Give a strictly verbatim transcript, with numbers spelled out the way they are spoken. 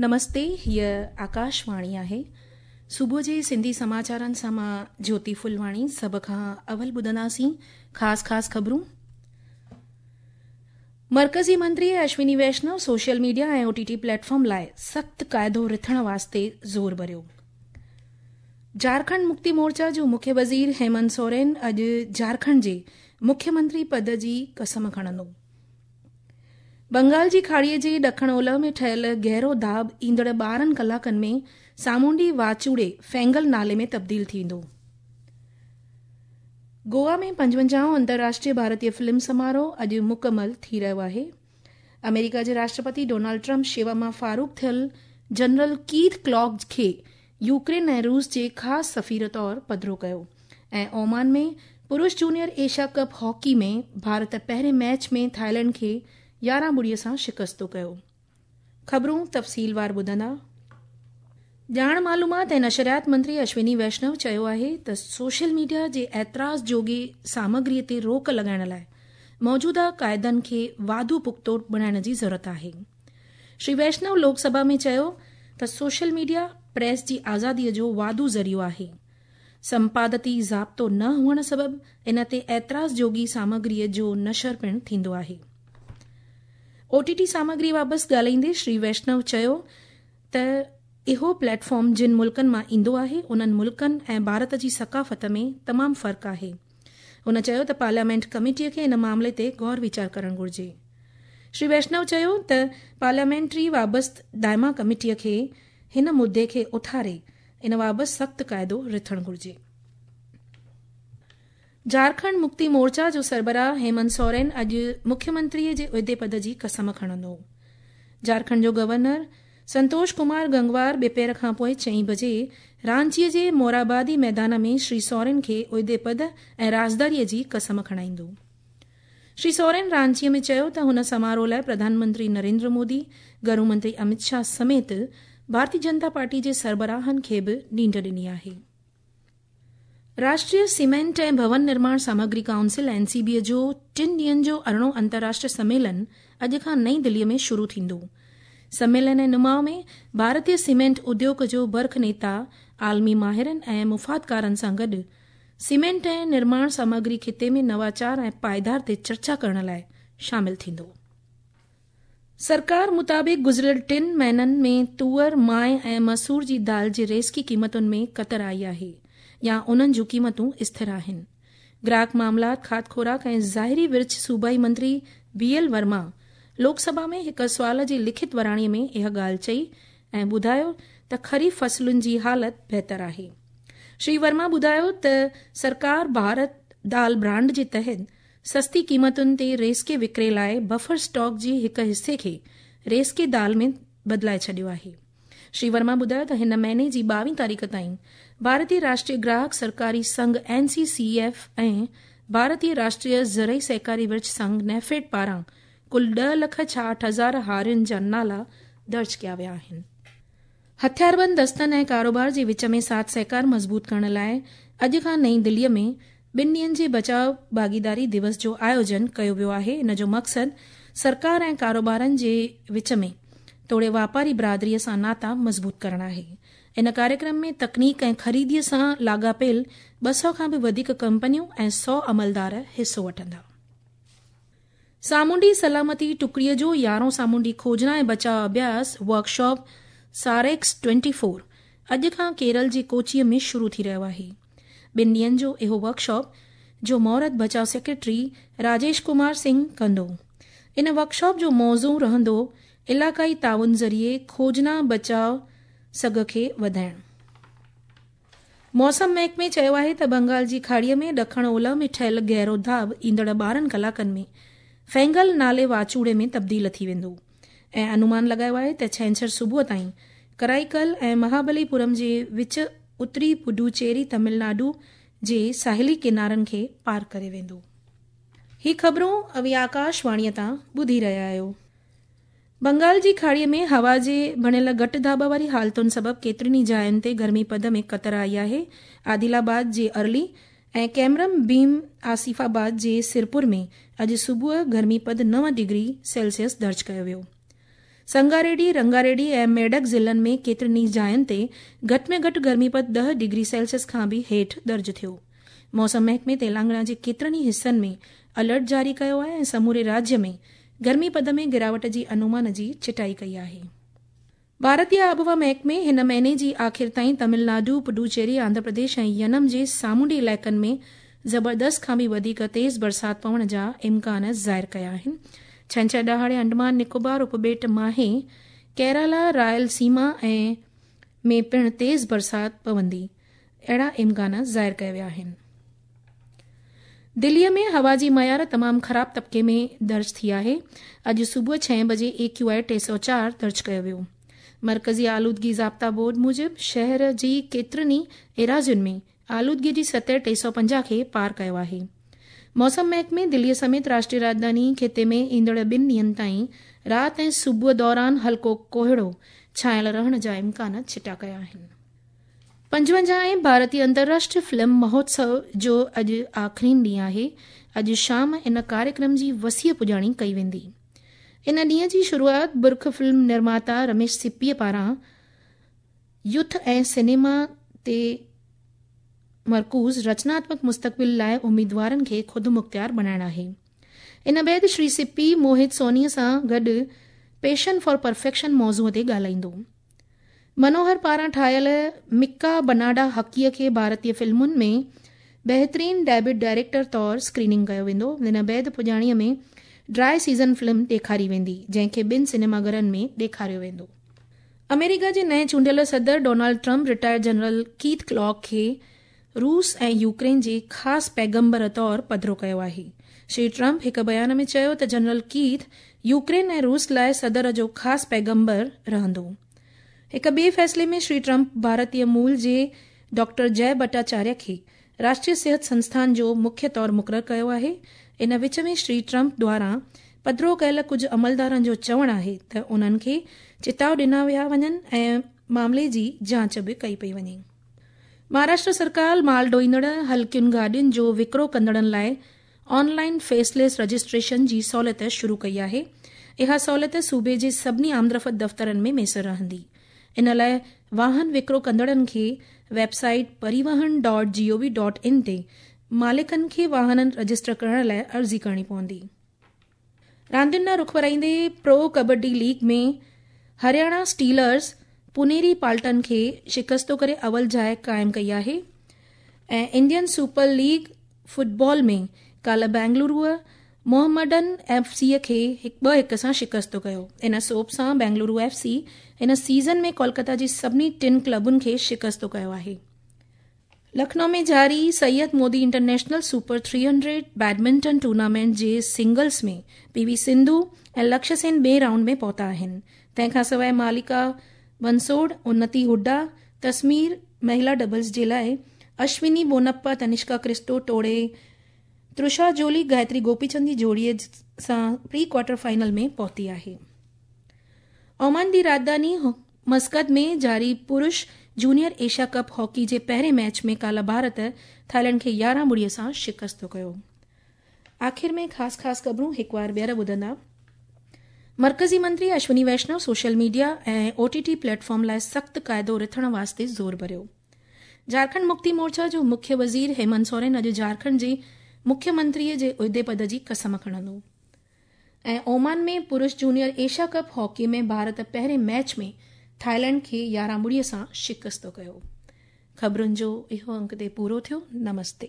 نمستي، هيء آڪاشواڻي آهي. صبح جي سنڌي سماچارن سان مان جيوتي ڦلواڻي. سڀ کان اول ٻڌنداسين خاص خاص خبرون. مرڪزي منتري اشوني ويشنو سوشل ميڊيا ۽ او ٽي ٽي پليٽ فارم لاءِ سخت قاعدو رٿڻ واسطي زور ڀريو. جهارکنڊ مڪتي مورچا جو مکيه وزير هيمنت سورين اڄ جهارکنڊ جي مکيه منتري پد جي قسم کڻندو. بنگال جي کاڙيءَ جي ڏکڻ اولهه ۾ ٺهيل گهرو داٻ ايندڙ ٻارهن ڪلاڪن ۾ سامونڊي واچوڙي فينگل نالي ۾ تبديل ٿيندو. گوا ۾ پنجونجاهون انترراشٽريه ڀارتيه فلم سماروهه اڄ مڪمل ٿي رهيو آهي. آمريڪا جي راشٽرپتي ڊونلڊ ٽرمپ شيوا مان فاروغ ٿيل جنرل ڪيٿ ڪلاگ کي يوڪرين ۽ روس جي خاص سفير طور پڌرو ڪيو. ۽ اومان ۾ پرش جونيئر ايشيا ڪپ هاڪي ۾ ڀارت پهرين ميچ ۾ ٿائيلينڊ کي يارهن ٻڙيءَ سان شڪست ڪيو. خبرون تفصيلوار ٻڌندا. ڄاڻ معلومات ۽ نشريات منتري اشوني ويشنو چيو آهي ته سوشل ميڊيا جي اعتراض جوڳي سامگريءَ تي روڪ لڳائڻ لاءِ موجوده قاعدن کي واڌو پختو بڻائڻ جي ضرورت آهي. شري ويشنو لوڪ سڀا ۾ چيو ته سوشل ميڊيا پريس جي آزاديءَ جو واڌو ذريعو آهي. سمپادتي ضابطو نه هئڻ سبب ان تي اعتراض جوڳي سامگريءَ جو نشر پڻ ٿيندو آهي. او ٽي ٽي سامگري بابت ڳالهائيندي شري ويشنو چيو ته اهو پليٽ فارم جن ملڪن مان ايندو آهي، انهن ملڪن ۽ ڀارت جي ثقافت ۾ تمام فرق آهي. هن چيو ته پارليامينٽ ڪميٽيءَ کي ان معاملي تي غور ويچار ڪرڻ گهرجي. شري ويشنو چيو ته پارليامينٽري وابست دائما ڪميٽيءَ کي هن مدعي کي اٿاري ان بابت سخت قاعدو رٿڻ گهرجي. جهارکنڊ مڪتي مورچا جو سربراهه هيمنت سورين اڄ مکيه منتريءَ جي عهدي پد جي قسم کڻندو. جهارکنڊ جو گورنر سنتوش ڪمار گنگوار ٻپهر کان پوءِ چئين بجي رانچيءَ جي مورابادي ميدان ۾ شري سورين کي عهدي پد ۽ رازداريءَ جي قسم کڻائيندو. شري سورين رانچيءَ ۾ چيو ته هن سماروهه لاءِ پرڌان منتري نريندر مودي، گهرو منتري امت شاهه سميت ڀارتيه جنتا پارٽي جي سربراهن کي به نينڍ ڏني آهي. راشٽريه سيمينٽ ۽ ڀون نرماڻ سامگري ڪائونسل اين سي بيءَ جو ٽن ڏينهن جو ارڙهون انترراشٽريه سميلن اڄ کان نئين دليءَ ۾ شروع ٿيندو. سميلن ۽ نماءُ ۾ ڀارتيه سيمينٽ اديوگ جو برک نيتا، عالمي ماهرن ۽ مفادڪارن سان گڏ سيمينٽ ۽ نرماڻ سامگري خطي ۾ نواچار ۽ پائيدار تي چرچا ڪرڻ لاءِ شامل ٿيندو. سرڪار مطابق گذريل ٽن مهينن ۾ تئر، مانءِ ۽ مسور جي دال جي ريزڪي قيمتن ۾ ڪتر آئي آهي يا انهن جون قيمتون اسٿر آهن. گراهڪ معاملات، کاڌ خوراڪ ۽ ظاهري ورڇ صوبائي منتري بي ايل ورما لوڪ سڀا ۾ هڪ سوال جي لکت وراڻيءَ ۾ اها ڳالهه چئي ۽ ٻڌايو ته خريف فصلن جي حالت بهتر آهي. شري ورما ٻڌايو ته سرڪار ڀارت دال برانڊ جي تحت سستي قيمتن تي ريزڪي وڪري لاءِ بفر اسٽاڪ جي هڪ حصي کي ريزڪي دال ۾ بدلائي ڇڏيو آهي. شري ورما ٻڌايو ته هن مهيني جي ٻاويهه تاريخ تائين ڀارتيه راشٽريه گراهڪ سرڪاري سنگهه اين سي سي ايف ۽ ڀارتيه راشٽريه زرعي سهڪاري ورڇ سنگهه نيفيڊ پاران ڪل ڏهه لک ڇاهٺ هزار هارين جا نالا درج ڪيا ويا آهن. هٿياربند دستن ۽ ڪاروبار جي وچ ۾ ساٿ سهڪار مضبوط ڪرڻ لاءِ اڄ کان نئين دليءَ ۾ ٻن ڏينهن جي بچاءُ ڀاڳيداري دوس جو آيوجن ڪيو ويو آهي. ان جو مقصد سرڪار ۽ ڪاروبارن جي وچ ۾ توڙي واپاري برادريءَ سان ناتا مضبوط ڪرڻ آهي. ان ڪاريڪرم ۾ تڪنيڪ ۽ خريديءَ سان لاڳاپيل ٻه سؤ کان به وڌيڪ ڪمپنيون ۽ سؤ عملدار حصو وٺندا. سامونڊي سلامتي ٽڪڙيءَ جو يارهون سامونڊي کوجنا ۽ بچاءُ اڀياس ورڪشاپ ساريڪس ٽوئنٽي فور اڄ کان ڪيرل جي ڪوچيءَ ۾ شروع ٿي رهيو آهي. ٻن ڏينهن جو اهو ورڪشاپ جو مهورت بچاءُ سيڪريٽري راجيش ڪمار سنگهه ڪندو. ان ورڪشاپ جو موضوع رهندو علائقائي تعاون ذريعي کوجنا بچاءُ سگهه کي وڌائڻ. موسم محڪمي چيو آهي ته بنگال جي کاڙيءَ ۾ ڏکڻ اولهه ۾ ٺهيل گهرو داٻ ايندڙ ٻارهن ڪلاڪن ۾ فينگل نالي واچوڙي ۾ تبديل ٿي ويندو ۽ انومان لڳايو آهي ته ڇنڇر صبح تائين ڪرائيڪل ۽ مهابليپورم جي وچ اتري پڊوچيري تامل ناڊو جي ساحلي ڪنارن کي پار ڪري ويندو. هي خبرون اوهين آڪاشواڻيءَ تان ٻڌي رهيا آهيو. بنگال جي کاڙيءَ ۾ هوا جي بڻيل گهٽ داٻ واري حالتن سبب ڪيترين ئي جاين تي گرمي پد ۾ ڪتر آئي آهي. عادل آباد جي ارلي ۽ ڪيمرم ڀيم آصف آباد جي سرپور ۾ اڄ صبح گرمي پد نو ڊگري سيلسيس درج ڪيو ويو. سنگاريڊي، رنگاريڊي ۽ ميڊڪ ضلعن ۾ ڪيترن ئي جاين تي گهٽ ۾ گهٽ گرمي پد ڏهه ڊگري سيلسيس کان به هيٺ درج ٿيو. موسم محڪمي تيلنگانا جي ڪيترن ئي حصن ۾ الرٽ جاري ڪيو آهي ۽ سموري راجيه ۾ گرمي پد ۾ گراوٽ جي انومان جي چٽائي ڪئي آهي. ڀارتي آبهوا محڪمي هن مهيني جي آخر تائين تامل ناڊو، پڊوچيري، آنڌرا پرديش ۽ ينم جي سامونڊي علائقن ۾ زبردست کان به وڌيڪ تيز برسات پوڻ جا امڪان ظاهر ڪيا آهن. ڇنڇر ڏهاڙي انڊمان نڪوبار اپٻيٽ ماهي، ڪيرالا، رائل سيما ۽ ۾ پڻ تيز برسات پوندي اهڙا امڪان ظاهر ڪيا ويا آهن. دليء ۾ هوا جي معيار تمام خراب طبقي ۾ درج ٿي آهي. اڄ صبح ڇهين بجي اي ڪيو آء ٽي سؤ چار درج ڪيو ويو. مرڪزي آلودگي ضابطا بورڊ موجب شهر جي ڪيترن ئي ايراضين ۾ آلودگي جي سطح ٽي سؤ پنجاهه کي پار ڪيو آهي. موسم محڪمي دليء سميت راشٽريه راڄڌاني خطي ۾ ايندڙ ٻن ڏينهن تائين رات ۽ صبح دوران هلڪو ڪوهيڙو ڇانيل رهڻ جا امڪان چٽا ڪيا آهن. پنجونجاهين ڀارتي انترراشٽريه فلم مهوتسو جو اڄ آخرين ڏينهن آهي. اڄ شام ان ڪاريڪرم جي وسيع پڄاڻي ڪئي ويندي. ان ڏينهن جي شروعات برک فلم نرماتا رميش سپيء پاران يوٿ ۽ سئنيما تي مرڪوز رچناتمڪ مستقبل لاءِ اميدوارن کي خودمختيار بڻائڻ آهي. ان بعد شري سپي موهت سونيء سان گڏ پيشن فار پرفيڪشن موضوع تي ڳالهائيندو. منوهر پاران ٺاهيل مڪا بناڊا هڪيء کي ڀارتي فلمن ۾ بهترين ڊيبيوٽ ڊائريڪٽر طور اسڪريننگ ڪيو ويندو. ان بعد پڄاڻيء ۾ ڊرائي سيزن فلم ڏيکاري ويندي، جنهن کي ٻن سئنيما گهرن ۾ ڏيکاريو ويندو. آمريڪا جي نئين چونڊيل صدر Donald Trump retired general Keith Kellogg کي روس ۽ يوڪرين جي خاص پيغمبر طور پڌرو ڪيو آهي. شري ٽرمپ هڪ بيان ۾ چيو ته جنرل ڪيٿ يوڪرين ۽ روس لاءِ صدر جو خاص پيغمبر رهندو. هڪ ٻئي فيصلي ۾ شري ٽرمپ ڀارتي مول جي ڊاڪٽر جئه ڀٽاچاريه کي راشٽريه صحت سنسٿان جو مکيه طور مقرر ڪيو آهي. ان وچ ۾ شري ٽرمپ دواران پڌرو ڪيل ڪجهه عملدارن جو چوڻ آهي ته انهن کي چتاءُ ڏنا ويا وڃن ۽ معاملي جي جاچ به ڪئي پئي وڃي. مهاراشٽر سرڪار مال ڍوئيندڙ هلڪين گاڏين جو وڪرو ڪندڙن لاءِ آن لائن فيس ليس رجسٽريشن جي سهوليت شروع ڪئي آهي. اها سهوليت صوبي جي سڀني آمدرفت دفترن ۾ ميسر رهندي. ان لاءِ واهن وڪرو ڪندڙن کي website Parivahan dot G O V dot in تي مالڪن کي واهنن رجسٽر ڪرڻ لاءِ عرضي ڪرڻي پوندي. راندين ڏانهن رخ ورائيندي پرو ڪبڊي ليگ ۾ هرياڻا اسٽيلرز پونيري پالٽن کي شڪستو ڪري اول جاءِ قائم ڪئي آهي ۽ انڊين سپر ليگ فٽبال ۾ ڪالهه بينگلورو محمڊن ايف سيءَ کي ٻه هڪ سان شڪستو ڪيو. ان سوڀ سان بينگلورو ايف سي هن سيزن ۾ ڪولڪتا جي سڀني ٽن ڪلبن کي شڪستو ڪيو آهي. لکنؤ ۾ جاري Syed Modi international super three hundred badminton tournament جي سنگلز ۾ پي وي سنڌو ۽ لڪشيه سين ٻئي رائونڊ ۾ پهتا آهن. تنهن کان سواءِ مالڪا بنسوڊ، انتي هوڊا، تسمير مهلا ڊبلز جي لاءِ اشوني بونپا، تنشڪا ڪرسٽو ٽوڙي ترشا جولي گايتري گوپيچند جي جوڙيءَ سان پري ڪوارٽر فائنل ۾ پهتي آهي. اومان جي راڄڌاني مسقط ۾ جاري پرش جونيئر ايشيا ڪپ هاڪي جي پهرين ميچ ۾ ڪالهه ڀارت ٿائيلينڊ کي يارهن ٻڙيءَ سان شڪست ڪيو. آخر ۾ خاص خاص خبرون هڪ وار ٻيهر ٻڌندا. مرڪزي منتري اشوني ويشنو سوشل ميڊيا ۽ او ٽي ٽي پليٽ فارم لاءِ سخت قاعدو رٿڻ واسطي زور ڀريو. جهارکنڊ مڪتي مورچا جو مکيه وزير هيمنت سورين اڄ جهارکنڊ جي مکيه منتريءَ جي عهدي پد جي قسم کڻندو. ۽ اومان ۾ پرش جونيئر ايشيا ڪپ هاڪي ۾ ڀارت پهرين ميچ ۾ ٿائيلينڊ کي يارهن ٻڙيءَ سان شڪست ڪيو. خبرن جو اهو انڪ تي پورو ٿيو. نمستي.